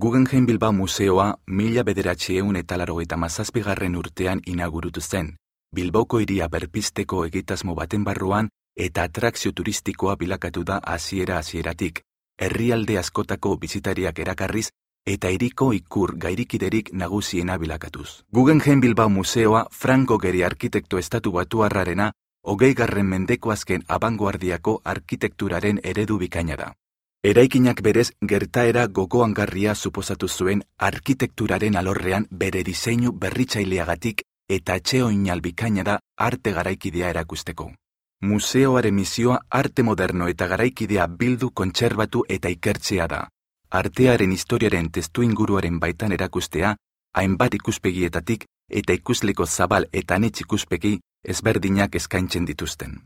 Guggenheim Bilbao Museoa 1987 urtean inauguratu zen, Bilboko hiria berpizteko egitasmo baten barruan eta atrakzio turistikoa bilakatu da hasieratik, herrialde askotako bisitariak erakarriz eta hiriko ikur gairikiderik nagusiena bilakatuz. Guggenheim Bilbao Museoa Franco Gehry arkitekto estatubatuarrarena 20. mendeko azken abangoardiako arkitekturaren eredu bikaina da. Eraikinak berez gertaera gogoangarria suposatu zuen arkitekturaren alorrean bere diseinu berritzaileagatik eta etxe-oinal bikaina da arte garaikidea erakusteko. Museoaren misioa arte moderno eta garaikidea bildu, kontserbatu eta ikertzea da. Artearen historiaren testuinguruaren baitan erakustea, hainbat ikuspegietatik eta ikusleko zabal eta anitz ikuspegi ezberdinak eskaintzen dituzten.